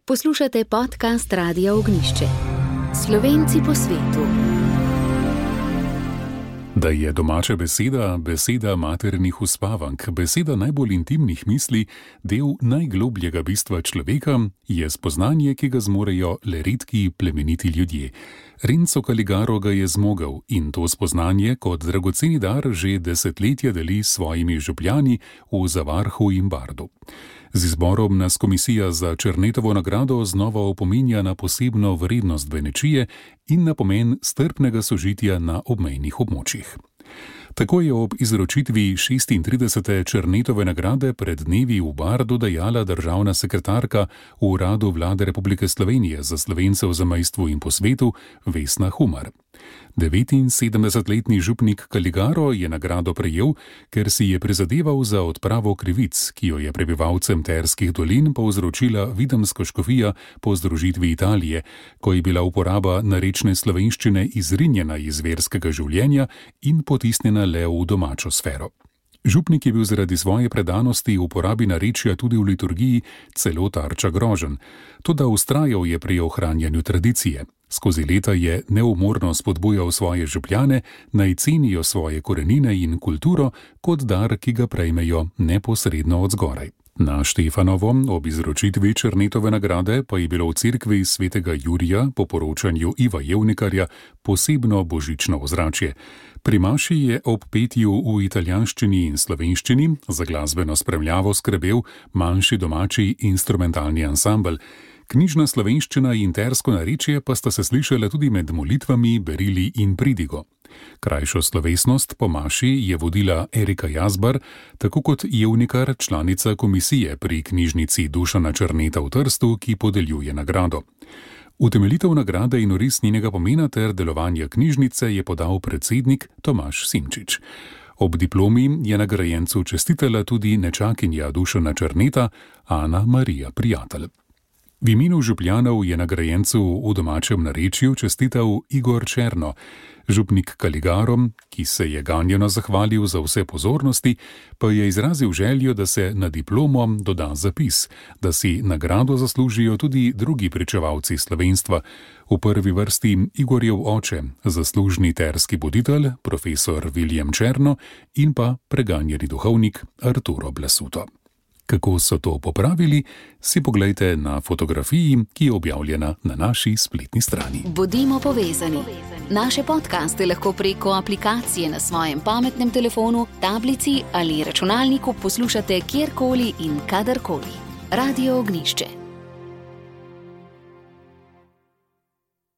Poslušate podcast Radia Ognjišče. Slovenci po svetu. Da je domača beseda, beseda maternih uspavank, beseda najbolj intimnih misli, del najglobljega bistva človeka, je spoznanje, ki ga zmorejo le redki plemeniti ljudje. Renzo Caligaro ga je zmogel in to spoznanje kot dragoceni dar že desetletja deli s svojimi župljani v Zavarhu in Bardu. Z izborom nas komisija za Černetovo nagrado znova opominja na posebno vrednost Benečije in na pomen strpnega sožitja na obmejnih območjih. Tako je ob izročitvi 36. Černetove nagrade pred dnevi v Bardu dejala državna sekretarka v Uradu Vlade Republike Slovenije za Slovence v zamejstvu in po svetu Vesna Humar. 79-letni župnik Caligaro je nagrado prejel, ker si je prizadeval za odpravo krivic, ki jo je prebivalcem Terskih dolin povzročila Videmska škofija po združitvi Italije, ko je bila uporaba narečne slovenščine izrinjena iz verskega življenja in potisnjena le v domačo sfero. Župnik je bil zaradi svoje predanosti uporabi narečja tudi v liturgiji celo tarča groženj, toda vztrajal je pri ohranjanju tradicije. Skozi leta je neumorno spodbujal svoje župljane, naj cenijo svoje korenine in kulturo kot dar, ki ga prejmejo neposredno od zgoraj. Na Štefanovo ob izročitvi Černetove nagrade pa je bilo v cerkvi svetega Jurija po poročanju Iva Jevnikarja posebno božično ozračje. Pri maši je ob petju v italijanščini in slovenščini za glasbeno spremljavo skrbel manjši domači instrumentalni ansambel. Knjižna slovenščina in tersko narečje pa sta se slišala tudi med molitvami, berili in pridigo. Krajšo slovesnost po maši je vodila Erika Jazbar, tako kot Jevnikar, članica komisije pri knjižnici Dušana Černeta v Trstu, ki podeljuje nagrado. Utemeljitev nagrade in oris njenega pomena ter delovanja knjižnice je podal predsednik Tomaž Simčič. Ob diplomi je nagrajencu čestitala tudi nečakinja Dušana Černeta, Ana Marija Prijatelj. V imenu župljanov je nagrajencu v domačem narečju čestital Igor Černo. Župnik Caligaro, ki se je ganjeno zahvalil za vse pozornosti, pa je izrazil željo, da se na diplomo doda zapis, da si nagrado zaslužijo tudi drugi pričevalci slovenstva. V prvi vrsti Igorjev oče, zaslužni terski buditelj, profesor Viljem Černo in pa preganjeni duhovnik Arturo Blasuto. Kako so to popravili, si poglejte na fotografiji, ki je objavljena na naši spletni strani. Bodimo povezani. Naše podcaste lahko preko aplikacije na svojem pametnem telefonu, tablici ali računalniku poslušate kjerkoli in kadarkoli. Radio Ognjišče.